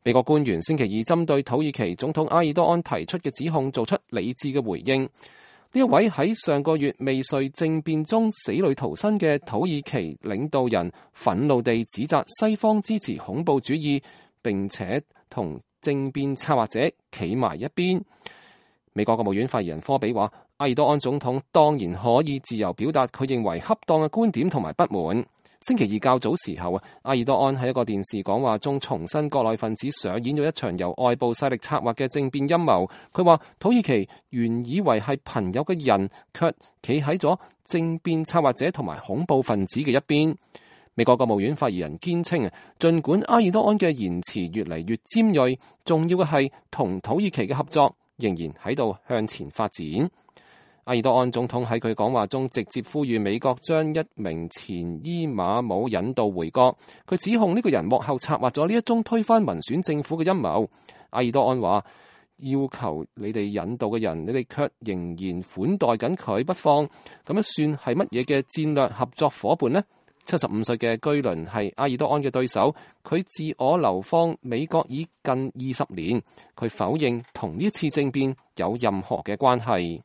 美國官員星期二針對土耳其總統埃爾多安提出嘅指控做出理智嘅回應。呢一位喺上個月未遂政變中死裏逃生嘅土耳其領導人憤怒地指責西方支持恐怖主義，並且同政變策劃者企埋一邊。美國國務院發言人科比話，埃爾多安總統當然可以自由表達佢認為恰當嘅觀點同埋不滿。星期二較早時候埃爾多安喺一個電視講話中重申國內分子上演咗一場由外部勢力策劃嘅政變陰謀。佢話土耳其原以為係朋友嘅人，卻企喺咗政變策劃者同埋恐怖分子嘅一邊。美國國務院發言人堅稱，儘管埃爾多安嘅言辭越嚟越尖銳，重要嘅係同土耳其嘅合作仍然喺度向前發展。埃爾多安總統喺佢講話中直接呼籲美國將一名前伊馬姆引渡回國。佢指控呢個人幕後策劃咗呢一宗推翻民選政府嘅陰謀。埃爾多安話，要求你哋引渡嘅人，你哋卻仍然款待緊佢不放，咁樣算係乜嘢嘅戰略合作夥伴呢？75歲嘅居倫係埃爾多安嘅對手，佢自我流放美國已近20年，佢否認同呢次政變有任何嘅關係。